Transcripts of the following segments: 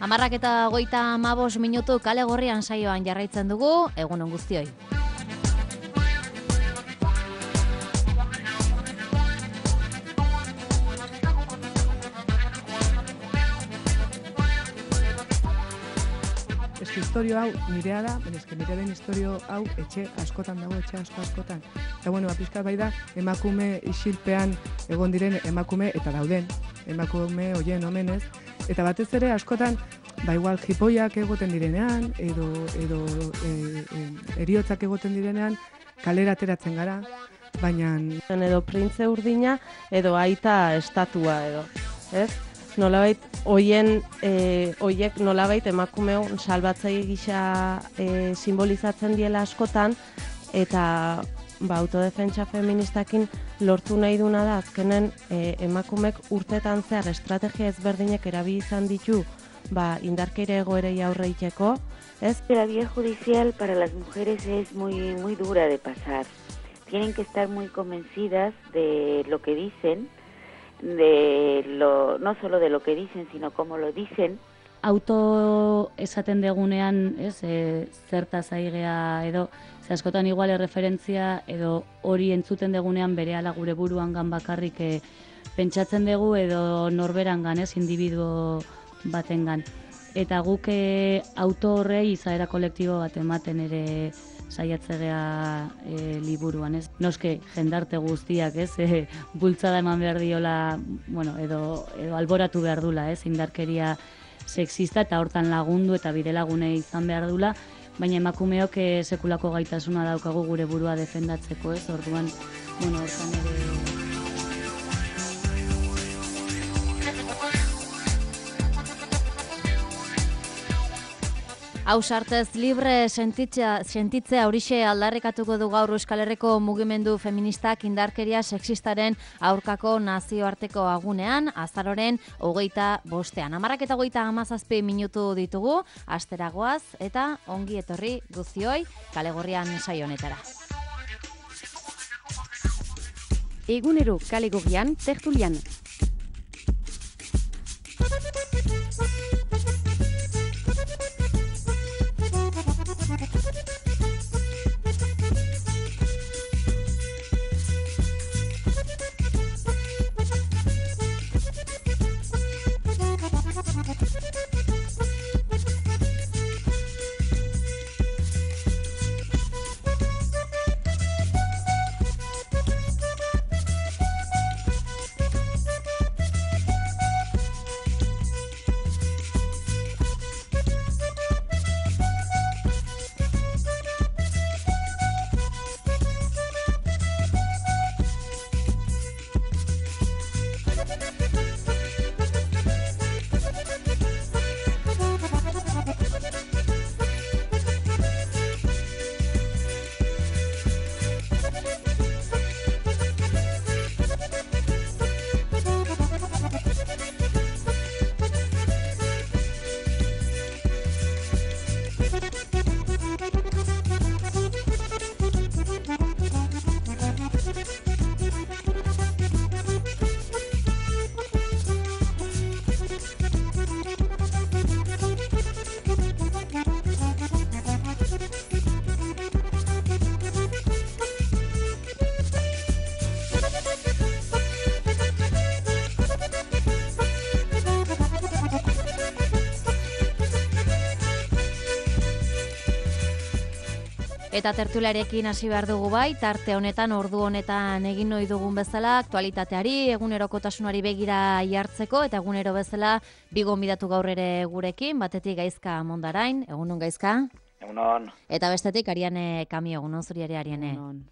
11:35 kale gorrian saioan jarraitzen dugu, egunon guztioi. Historio hau nirea da, nirearen historio hau etxe askotan dago, etxe askotan. Eta bueno, pixka bai da, emakume isilpean egon diren emakume eta dauden, emakume hoien omenez. Eta batez ere askotan, igual jipoiak egoten direnean, edo heriotzak egoten direnean, kalera ateratzen gara, baina... Edo printze urdina, edo aita estatua edo, ez? Nolabait, hoiek nolabait emakumeon salbatzaile gisa simbolizatzen diela askotan, eta autodefentsa feministakin lortu nahi duna da, azkenen emakumek urtetan zehar estrategia ezberdinek erabili izan ditu indarkeria egoerei aurre egiteko, ez? La vía judicial para las mujeres es muy dura de pasar. Tienen que estar muy convencidas de lo que dicen, no solo de lo que dicen, sino cómo lo dicen. Auto esaten degunean, zertaz aigea edo, askotan igual erreferentzia edo hori entzuten degunean berehala gure buruangan bakarrik pentsatzen dugu edo norberangan, individuo batengan. Eta guk auto horrei izaera kolektibo bat ematen ere saiatzea liburuan, ez? Noske jendarte guztiak, bultzada eman behar diola, edo alboratu behar dula, indarkeria sexista eta hortan lagundu eta bidelagunei izan behar dula, baina emakumeok sekulako gaitasuna daukagu gure burua defendatzeko, ez? Orduan, hortan ere... Ausartez libre sentitzea horixe aldarrikatuko du gaur Euskal Herriko mugimendu feministak indarkeria sexistaren aurkako nazioarteko agunean, azaroren 25-ean. 11:37 minutu ditugu, asteragoaz eta ongi etorri guztioi kale gorrian saio honetara. Egunero kale gorrian tertulian. Eta tertuliarekin hasi behar dugu tarte honetan, ordu honetan egin ohi dugun bezala, aktualitateari, egunerokotasunari begira jartzeko, eta egunero bezala bi gonbidatu gaur ere gurekin, batetik Gaizka Mondarain, egunon Gaizka? Egunon. Eta bestetik Ariane Kamio, egunon zuri ere Ariane. Egunon.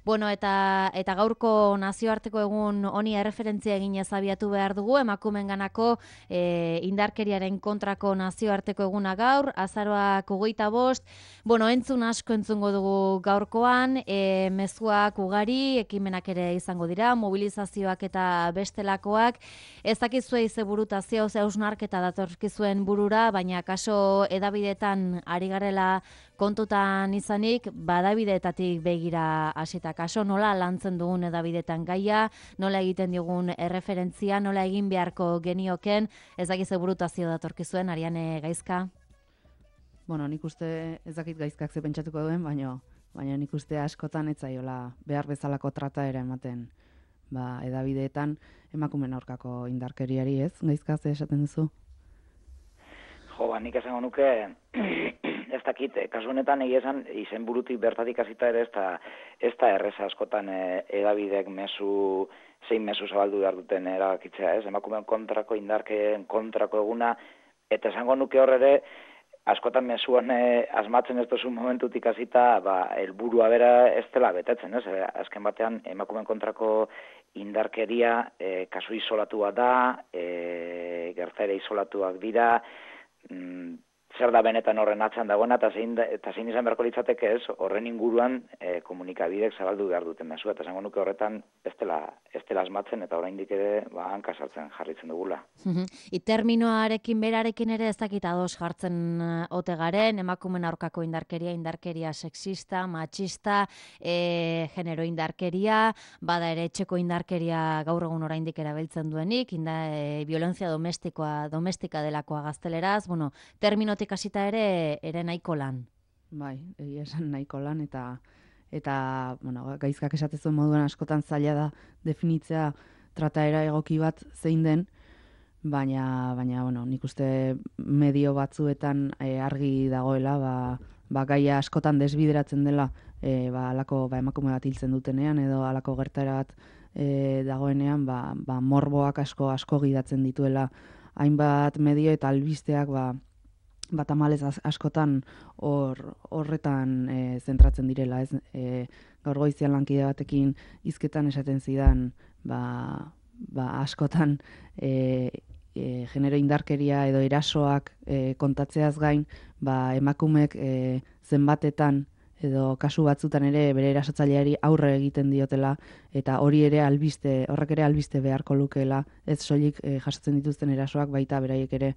Bueno, eta gaurko nazioarteko egun honi erreferentzia eginez abiatu behar dugu, emakumeenganako indarkeriaren kontrako nazioarteko eguna gaur, azaroak 25. Bueno, entzun asko entzungo dugu gaurkoan, mezuak ugari, ekimenak ere izango dira, mobilizazioak eta bestelakoak. Ez dakizue ze burutazio, ze hausnarketa datorkizuen burura, baina kaso edabidetan ari garela kontutan izanik, badabideetatik begira hasita kaso, nola lantzen dugun edabideetan gaia, nola egiten digun erreferentzia, nola egin beharko genioken, ez dakiz burutazio datorkizuen, Ariane Gaizka? Bueno, nik uste ez dakit Gaizkak ze pentsatuko duen, baina nik uste askotan ez zaiola behar bezalako trataera ematen edabideetan emakumeen aurkako indarkeriari, ez? Gaizka ze esaten duzu? Jo, nik esango nuke, ez dakit, kasu honetan egia esan, izen burutik bertatik hasita ere ez da erreza askotan edabideek zein mezu zabaldu behar duten erabakitzea, ez? Emakumeen kontrako, indarkeen kontrako eguna, eta esango nuke hor ere, askotan mezuan asmatzen ez duzun momentutik hasita, helburua bera ez dela betetzen, ez? Azken batean, emakumeen kontrako indarkeria kasu isolatua da, gertaera isolatuak dira, zer da benetan horren atzean dagoena, eta zein izan beharko litzateke ez, horren inguruan komunikabidek zabaldu behar duten mezua, eta esango nuke horretan ez dela asmatzen, eta oraindik ere hanka sartzen jarritzen dugula. Terminoarekin berarekin ere ez dakit ados jartzen ote garen, emakumen aurkako indarkeria sexista, machista, genero indarkeria, bada ere etxeko indarkeria gaur egun oraindik erabiltzen duenik, violencia domestika delakoa gazteleraz, bueno, terminotik hasita ere nahiko lan. Bai, egia esan nahiko lan, eta bueno, Gaizkak esatezuen moduan askotan zaila da definitzea trataera egoki bat zein den, baina bueno, nik uste medio batzuetan argi dagoela, gaia askotan desbideratzen dela, alako emakume bat hiltzen dutenean, edo alako gertaera bat dagoenean, morboak asko gidatzen dituela hainbat medio eta albisteak tamalez askotan horretan zentratzen direla, ez? Gaur goizian lankide batekin hizketan esaten zidan, askotan genero indarkeria edo erasoak kontatzeaz gain, emakumeek zenbatetan edo kasu batzutan ere bere erasotzaileari aurre egiten diotela, eta horrek ere albiste beharko lukeela, ez soilik jasotzen dituzten erasoak, baita beraiek ere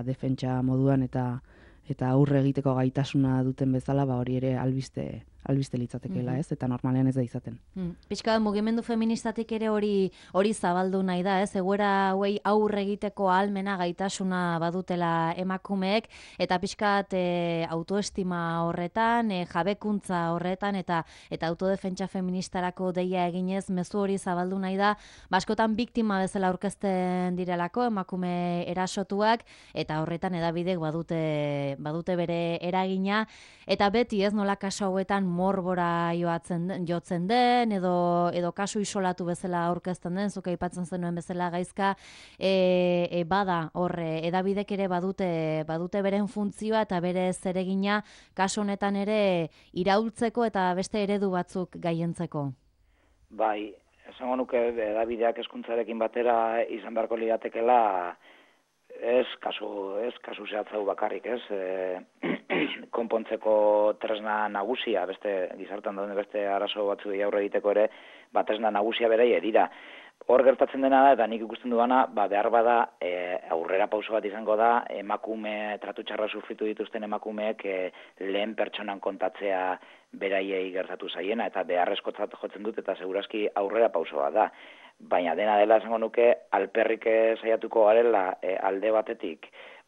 defentsa moduan eta aurre egiteko gaitasuna duten bezala, hori ere albiste litzatekeela, ez? Eta normalean ez da izaten. Pixka mugimendu feministatik ere hori zabaldu nahi da, ez? Egoera hauei aurre egiteko ahalmena gaitasuna badutela emakumeek, eta pixkat autoestima horretan, jabekuntza horretan, eta autodefentsa feministarako deia eginez, mezu hori zabaldu nahi da, askotan biktima bezala aurkezten direlako emakume erasotuak, eta horretan edabidek badute bere eragina, eta beti ez nola kasu hauetan morbora jotzen den, edo kasu isolatu bezala aurkezten den, zuk aipatzen zenuen bezala Gaizka, bada horre, edabidek ere badute beren funtzioa eta bere zeregina kasu honetan ere iraultzeko eta beste eredu batzuk gaientzeko. Bai, esango nuke edabideak hezkuntzarekin batera izan beharko ligatekela ez kasu zehatzau bakarrik, ez? Konpontzeko tresna nagusia, beste gizartean dauden beste arazo batzuei aurre egiteko ere, tresna nagusia berai dira. Hor gertatzen dena da, eta nik ikusten duana, behar bada aurrera pauso bat izango da, tratu txarra sufritu dituzten emakumeek lehen pertsonan kontatzea beraiei gertatu zaiena, eta beharrezkotzat jotzen dut, eta segurazki aurrera pauso bat da. Baina dena dela esango nuke, alperrik saiatuko garela alde batetik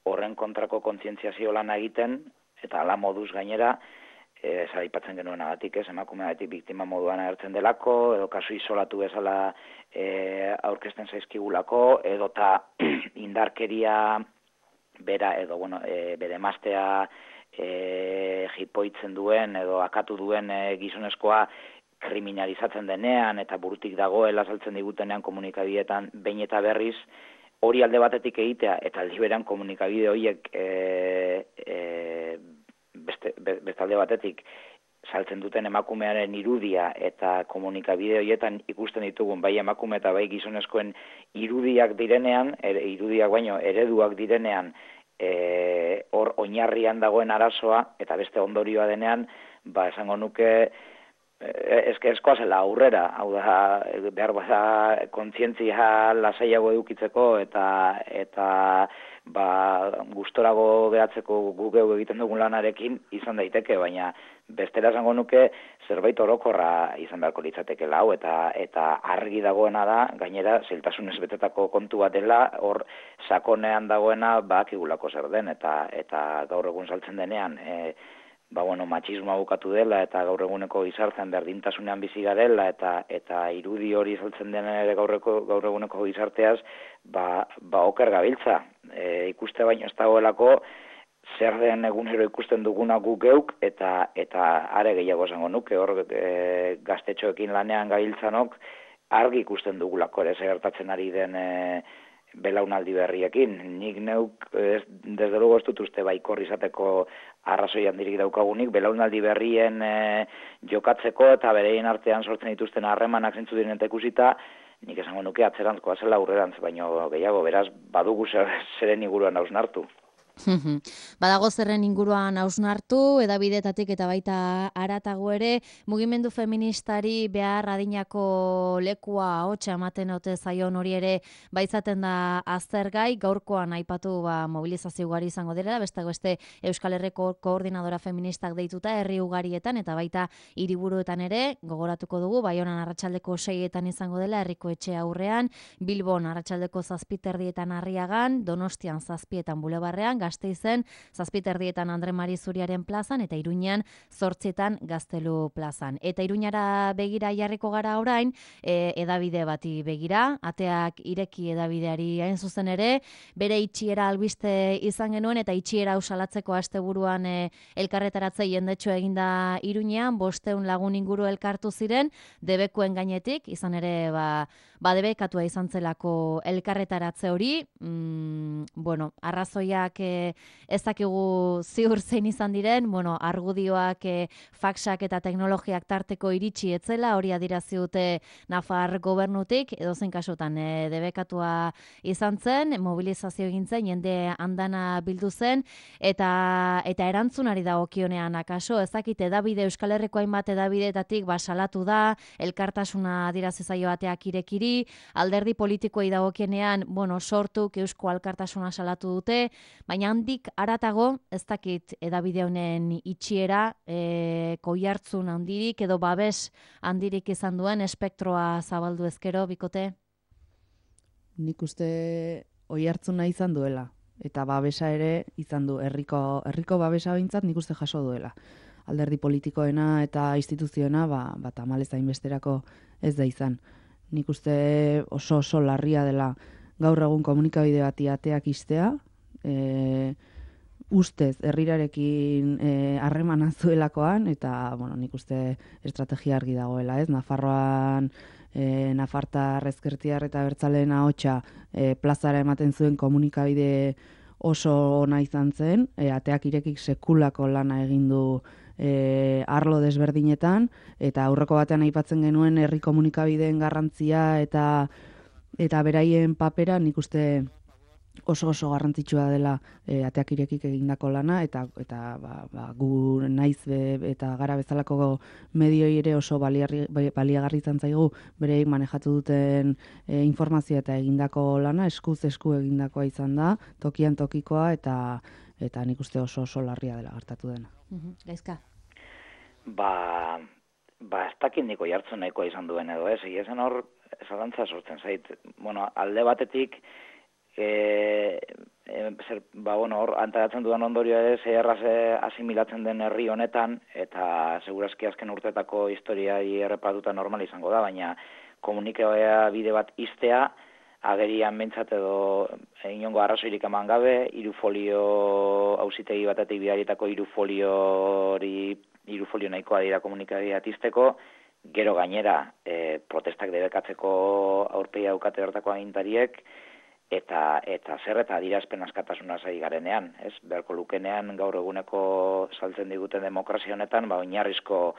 horren kontrako kontzientziazio lana egiten, eta ala moduz gainera, aipatzen genuenagatik, emakumeagatik biktima moduan agertzen delako, edo kasu isolatu bezala aurkezten zaizkigulako, edota indarkeria bera, edo bere emaztea jipoitzen duen, edo akatu duen gizonezkoa kriminalizatzen denean, eta burutik dagoela saltzen digutenean komunikabideetan behin eta berriz, hori alde batetik egitea, eta aldi berean komunikabide horiek beste alde batetik saltzen duten emakumearen irudia, eta komunikabide horietan ikusten ditugun bai emakume eta bai gizonezkoen irudiak direnean, irudiak baino ereduak direnean, hor oinarrian dagoen arazoa, eta beste ondorioa denean, esango nuke eskoa zela aurrera, hau da, behar bada kontzientzia lasaiago edukitzeko eta gustorago geratzeko gugeu egiten dugun lanarekin izan daiteke, baina bestera esango nuke zerbait orokorra izan beharko litzatekeela hau, eta argi dagoena da, gainera, zailtasunez betetako kontu bat dela, hor sakonean dagoena bakigulako zer den, eta gaur egun saltzen denean, matxismoa bukatu dela eta gaur eguneko gizartean berdintasunean bizi garela eta irudi hori saltzen dena ere gaur eguneko gizarteaz oker gabiltza. Ikuste baino ez dagoelako zer den egunero ikusten duguna guk geuk eta are gehiago esango nuke hor gaztetxoekin lanean gabiltzanok argi ikusten dugulako ere gertatzen ari den belaunaldi berriekin. Nik neuk, desde luego ez dut uste baikor izateko arrazoi handirik daukagunik, belaunaldi berrien jokatzeko eta bereien artean sortzen dituzten harremanak zentzu diren eta ikusita, nik esango nuke atzerantzkoa zela aurrerantz, baino gehiago, beraz, badugu zeren inguruan hausnartu. Badago zerren inguruan hausnartu, edabidetatik eta baita haratago ere, mugimendu feministari behar adinako lekua hotxa ematen ote zaion hori ere baizaten da aztergai, gaurkoan aipatu mobilizazio ugari izango dira, beste Euskal Herriko koordinadora feministak deituta herri ugarietan eta baita hiriburuetan ere, gogoratuko dugu, Baionan arratsaldeko 6etan izango dela herriko etxe aurrean, Bilbon arratsaldeko 7:30 Arriagan, Donostian 7:00 Bulebarrean, Gasteizen 7:30 Andre Mari Zuriaren plazan eta Iruñean 8:00 Gaztelu plazan. Eta Iruñara begira jarriko gara orain, edabide bati begira, ateak ireki edabideari hain zuzen ere, bere itxiera albiste izan genuen eta itxiera usalatzeko asteburuan elkarretaratze jendetxo eginda Iruñean, 500 lagun inguru elkartu ziren, debekuen gainetik, izan ere debekatua izan zelako elkarretaratze hori, arrazoiak ez dakigu ziur zein izan diren, argudioak, faxak eta teknologiak tarteko iritsi etzela, hori adierazi dute Nafar gobernutik, edozein kasutan debekatua izan zen, mobilizazio egin zen, jende andana bildu zen, eta erantzunari dagokionean akaso, ez dakit edabide Euskal Herriko hainbat edabideetatik salatu da, elkartasuna adierazi zaio ateak irekiri, alderdi politikoei dagokienean, sortuk Eusko Alkartasuna salatu dute, baina handik haratago, ez dakit edabide honen itxiera, koihartzun handirik edo babes handirik izan duen espektroa zabaldu ezkero, bikote? Nik uste oihartzuna izan duela, eta babesa ere izan du, herriko babesa behintzat nik uste jaso duela. Alderdi politikoena eta instituzioena, tamalez hainbesterako ez da izan. Nik uste oso larria dela gaur egun komunikabide bati ateak istea, ustez herrirarekin harremana zuelakoan, eta nik uste estrategia argi dagoela, ez? Nafarroan Nafartar, Ezkertiar eta Abertzaleen ahotsa plazara ematen zuen komunikabide oso ona izan zen, ateak irekik sekulako lana egin du arlo desberdinetan, eta aurreko batean aipatzen genuen herri komunikabideen garrantzia eta beraien papera nik uste oso garrantzitsua dela ateak irekik egindako lana, eta gu naiz eta gara bezalako medioi ere oso baliagarri izan zaigu bereik manejatu duten informazioa eta egindako lana, eskuz esku egindakoa izan da, tokian tokikoa, eta nik uste oso larria dela gertatu dena. Gaizka? Ez dakit niko jartzen nahikoa izan duen edo, ez? Ezen hor, zalantza sortzen zait. Alde batetik, hor antaratzen dudan ondorioa ere, zeherraz asimilatzen den herri honetan, eta segurazki azken urtetako historiai erreparatuta normal izango da, baina komunikaoea bide bat iztea, agerian behintzat edo inongo arrazoirik eman gabe, hirufolio auzitegi batetik bidaritako hirufolio nahikoa dira komunikabidea izteko, gero gainera protestak debekatzeko aurpegia daukate hortako agintariek, eta zer eta adierazpen askatasuna zai garenean, ez? Beharko lukenean gaur eguneko saltzen diguten demokrazia honetan, oinarrizko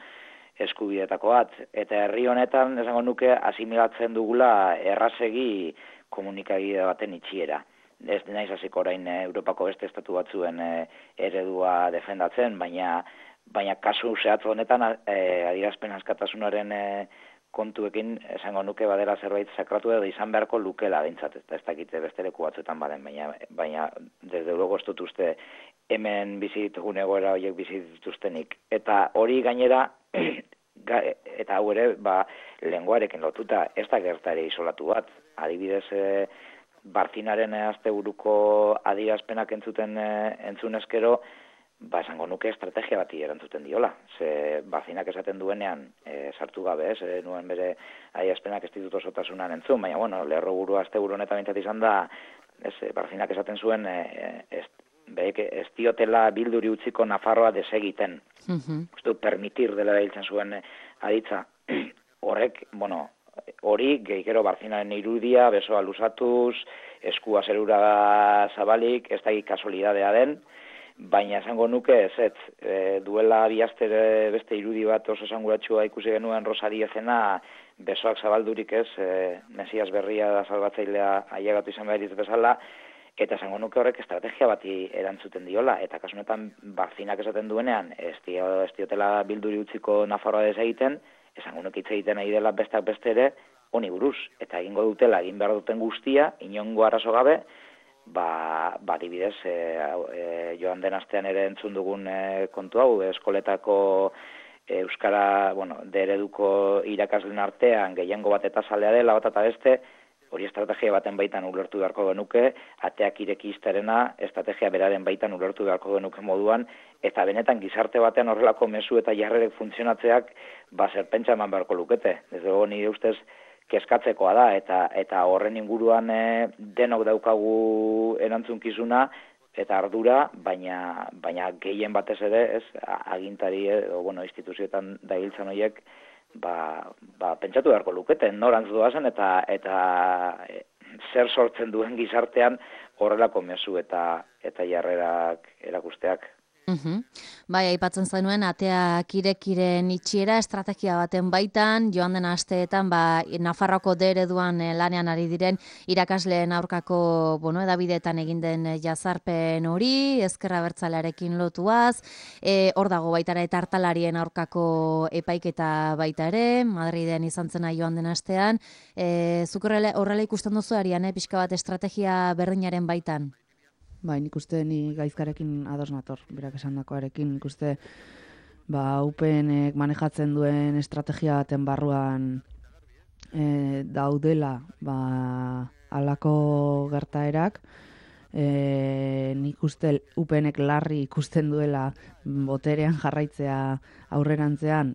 eskubideetako bat. Eta herri honetan, esango nuke, asimilatzen dugula errazegi komunikabide baten itxiera. Ez naiz hasiko orain Europako beste estatu batzuen eredua defendatzen, baina baina kasu zehatz honetan adierazpen askatasunaren kontuekin esango nuke badela zerbait sakratu edo izan beharko lukela behintzat, ez dakite beste leku batzuetan baden, baina desde luego ez dut uste hemen bizi ditugun egoera horiek bizi dituztenik. Eta hori gainera, eta hau ere, lenguarekin lotuta, ez da gertare isolatu bat. Adibidez, Barzinaren asteburuko adierazpenak entzunezkero, esango nuke estrategia bati erantzuten diola. Ze Barzinak esaten duenean, sartu gabe, nuen bere adierazpenak ez ditut osotasunan entzun, baina, bueno, lerroburu asteburu honetan bintzat izan da, Barzinak esaten zuen, ez diotela bilduri utziko Nafarroa desegiten. Permitir dela hiltzen zuen aditza. Horrek, bueno, hori, gehikero Barzinaren irudia, besoa luzatuz, eskua zerura zabalik, ez da kasualidadea den, baina esango nuke ez, duela bihazter beste irudi bat oso esanguratsua ikusi genuen Rosariezena, besoak zabaldurik ez, Mesias berria da salbatzailea ailegatu izan behar ditu bezala, eta esango nuke horrek estrategia bati erantzuten diola, eta kasu honetan Barzinak esaten duenean, ez diotela bilduri utziko Nafarroa desegiten, esango nuke hitz egiten nahi dela besteak beste ere, honi buruz, eta egingo dutela, egin behar duten guztia, inongo arazo gabe, adibidez, joan den astean ere entzun dugun kontu hau, eskoletako euskara, ereduko irakasleen artean, gehiengo bat eta zalea dela, bat eta beste, hori estrategia baten baitan ulertu beharko genuke, ateak ireki izterena, estrategia beraren baitan ulertu beharko genuke moduan, eta benetan gizarte batean horrelako mezu eta jarrerek funtzionatzeak, zerpentsa eman beharko lukete. Desde luego nire ustez, kezkatzekoa da, eta horren inguruan denok daukagu erantzunkizuna eta ardura, baina gehien batez ere, agintari edo instituzioetan dailtzan horiek, pentsatu beharko lukete, norantz doazen eta zer sortzen duen gizartean horrelako mezu eta jarrerak erakusteak. Bai, aipatzen zenuen, ateak irekiren itxiera estrategia baten baitan, joan den asteetan, Nafarroako ereduan lanean ari diren irakasleen aurkako, edabideetan egin den jazarpen hori, ezker abertzalearekin lotuaz, hor dago baita ere tartalarien aurkako epaiketa baita ere, Madriden izan zena joan den astean, zuk horrela ikusten duzu Ariane, pixka bat estrategia berdinaren baitan? Bai, nik uste ni gaizkarekin ados nator, berak esandakoarekin, nik uste UPNek manejatzen duen estrategia baten barruan daudela halako gertaerak, nik uste UPNek larri ikusten duela boterean jarraitzea aurrerantzean,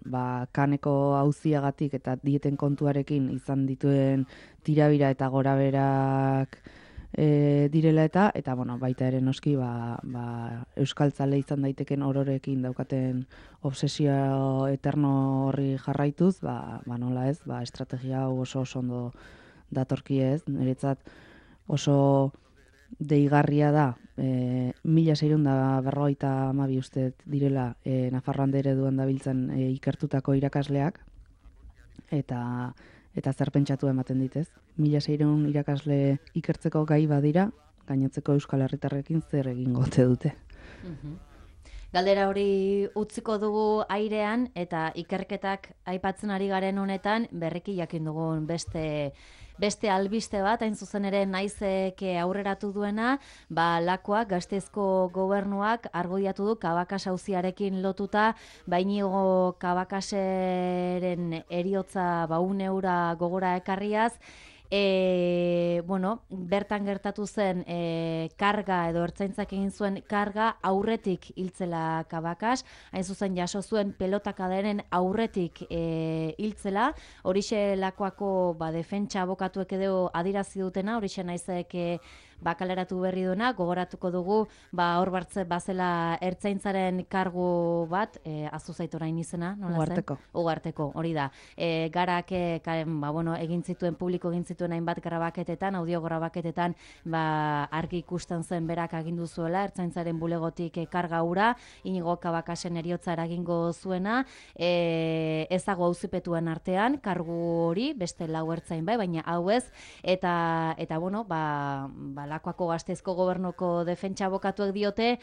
kaneko auziagatik eta dieten kontuarekin izan dituen tirabira eta goraberak direla eta baita ere noski euskaltzale izan daiteken ororekin daukaten obsesio eterno horri jarraituz, nola ez, estrategia hau oso ondo datorki ez, niretzat oso deigarria da, 1652 uste direla Nafarroan ereduan dabiltzen ikertutako irakasleak, eta zer pentsatu ematen ditez. 1600 irakasle ikertzeko gai badira, gainotzeko euskal herritarrekin zer egingo ote dute. Galdera hori utziko dugu airean, eta ikerketak aipatzen ari garen honetan, berriki jakin dugun beste albiste bat, hain zuzen ere naizeke aurreratu duena, Lakuak, Gasteizko gobernuak argoiatu du Kabakas auziarekin lotuta, Iñigo Kabakaseren heriotza 100 euro gogora ekarriaz, bertan gertatu zen karga edo ertzaintzak egin zuen karga aurretik hiltzela Kabakas, hain zuzen jaso zuen pelotakaderen aurretik hiltzela, horixe Lakuako defentsa abokatuek edo adirazi dutena, horixe naizek kaleratu berri duena, gogoratuko dugu, hor bazela ertzaintzaren kargu bat, azuzait orain izena, nola zen? Ugarteko, hori da. Garak, egin zituen, publiko egin zituen zituen hainbat grabaketetan, audio grabaketetan, argi ikusten zen berak agindu zuela, ertzaintzaren bulegotik karga hura, Inigo Cabacasek eriotza eragingo zuena, ez dago auzipetuen artean, kargu hori, beste 4 ertzain bai, baina hau ez, eta bueno, Lakuako Gasteizko Gobernuko defentsa abokatuek diote,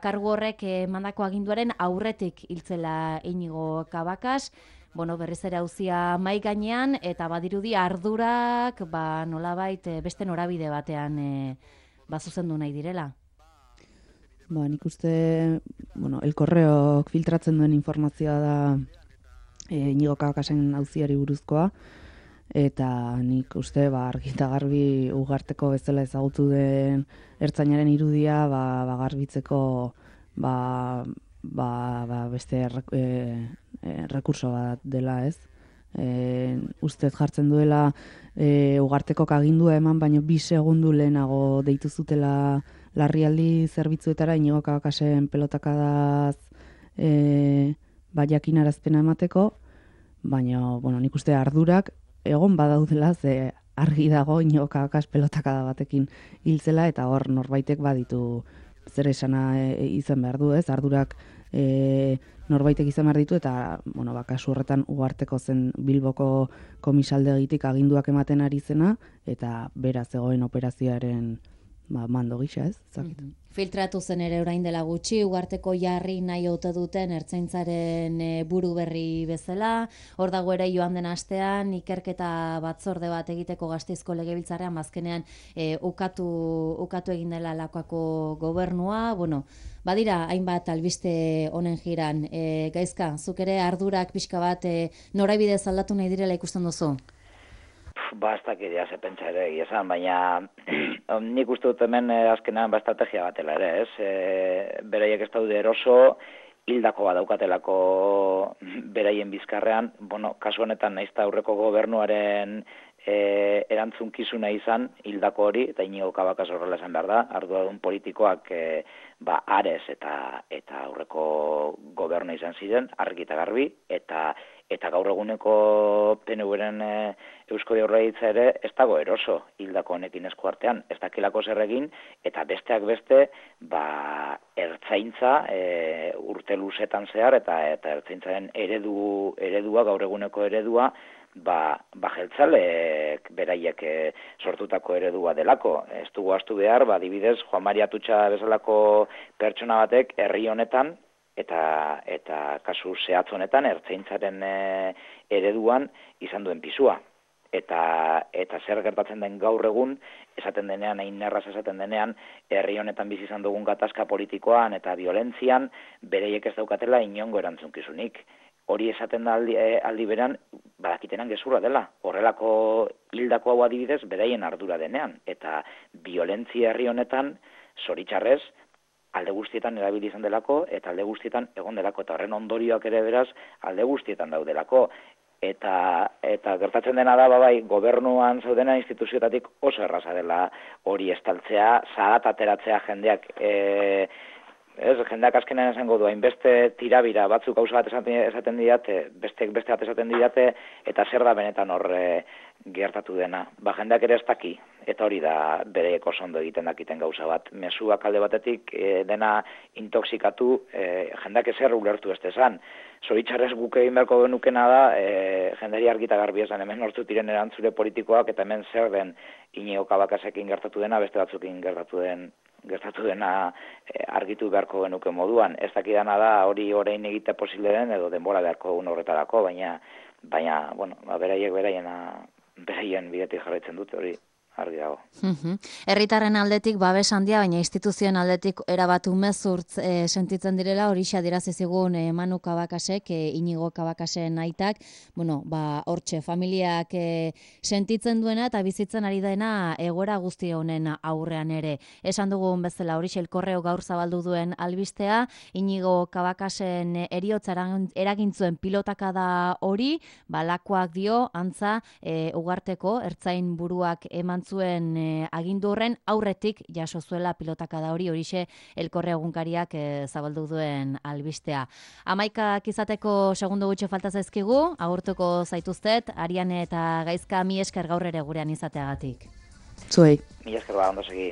kargu horrek mandako aginduaren aurretik hiltzela Inigo Cabacas, bueno, berriz ere auzia mai gainean, eta badirudi ardurak, nolabait beste norabide batean zuzendu nahi direla. Nik uste, El Correok filtratzen duen informazioa da Inigo Cabacasen auziari buruzkoa, eta nik uste argi eta garbi Ugarteko bezala ezagutu den ertzainaren irudia garbitzeko beste rekurso bat dela, ez? Ustez jartzen duela Ugartekok agindua eman, baino 2 segundu lehenago deitu zutela larrialdi zerbitzuetara Inigo Cabacasen pelotakadaz jakinarazpena emateko, baina nik uste ardurak egon badaudela, ze argi dago Inigo Cabacas pelotakada batekin hiltzela, eta hor norbaitek baditu zer esana izan behar du, ez? Ardurak norbaitek izan behar ditu, eta kasu horretan Ugarteko zen Bilboko komisaldegitik aginduak ematen ari zena, eta beraz zegoen operazioaren mando gisa, ez? Filtratu zen ere orain dela gutxi, Ugarteko jarri nahi ote duten ertzaintzaren buru berri bezala, hor dago ere joan den astean, ikerketa batzorde bat egiteko Gasteizko Legebiltzarrean, azkenean ukatu egin dela Lakuako gobernua, badira hainbat albiste honen jiran. Gaizka, zuk ere ardurak pixka bat norabide aldatu nahi direla ikusten duzu? Ez dakit ze pentsa ere esan, baina nik uste dut hemen azkenean estrategia batela ere, ez? Beraiek ez daude eroso, hildako bat daukatelako beraien bizkarrean, kasu honetan naiz eta aurreko gobernuaren erantzunkizuna izan hildako hori, eta Inigo Cabacas horrela esan behar da, arduradun politikoak Ares eta aurreko gobernu izan ziren, argi eta garbi, eta gaur eguneko PNV-ren Eusko Jaurlaritza ere ez dago eroso hildako honekin esku artean, ez dakilako zer egin, eta besteak beste, ertzaintza urte luzetan zehar, eta ertzaintzaren eredua, gaur eguneko eredua, jeltzalek beraiek sortutako eredua delako. Ez dugu ahaztu behar, adibidez, Juan Mari Atutxa bezalako pertsona batek herri honetan, eta kasu zehatz honetan ertzaintzaren ereduan izan duen pisua. Eta zer gertatzen den gaur egun, esaten denean, erraz esaten denean, herri honetan bizi izan dugun gatazka politikoan eta violentzian, bereiek ez daukatela inongo erantzunkizunik. Hori esaten da aldi beran, badakitenan gezurra dela. Horrelako hildako hau adibidez, beraien ardura denean. Eta violentzia herri honetan, zoritxarrez, alde guztietan erabili izan delako, eta alde guztietan egon delako, eta horren ondorioak ere beraz, alde guztietan daudelako. Eta gertatzen dena da, gobernuan zaudena instituzioetatik oso erraza dela hori estaltzea, zahat ateratzea jendeak, jendeak azkenean esango du, hainbeste tirabira batzuk gauza bat esaten didate, beste bat esaten didate, eta zer da benetan hor gertatu dena. Jendeak ere ez daki, eta hori da bereek oso ondo egiten dakiten gauza bat. Mezuak alde batetik dena intoxikatu, jendeak ezer ulertu ez esan. Zoritxarrez guk egin beharko genukena da, jenderi argita garbi esan, hemen nortzut diren erantzule politikoak, eta hemen zer den Inigo Cabacasekin gertatu dena, beste batzukin gertatu dena argitu beharko genuke moduan. Ez dakidana da hori orain egite posible den, edo denbora beharko egun horretarako, baina beraiek beraien bidetik jarraitzen dute hori. Argi dago. Herritarren aldetik babes handia, baina instituzioen aldetik erabat umezurtz sentitzen direla, hori adierazi zigun Manu Cabacasek, Inigo Cabacasen aitak, hortxe familiak sentitzen duena eta bizitzen ari dena egoera guzti honen aurrean ere. Esan dugun bezala hori El Correo gaur zabaldu duen albistea, Inigo Cabacasen eriotza eragintzuen pilotakada hori, Lakuak dio, antza, Ugarteko, ertzain buruak eman zuen agindu horren aurretik jaso zuela pilotakada horixe Elkorre egunkariak zabaldu duen albistea. 11 izateko segundo gutxi falta zaizkigu, agurtuko zaituztet, Ariane eta Gaizka, mi esker gaur ere gurean izateagatik. Zuei. Mi esker ondo segi.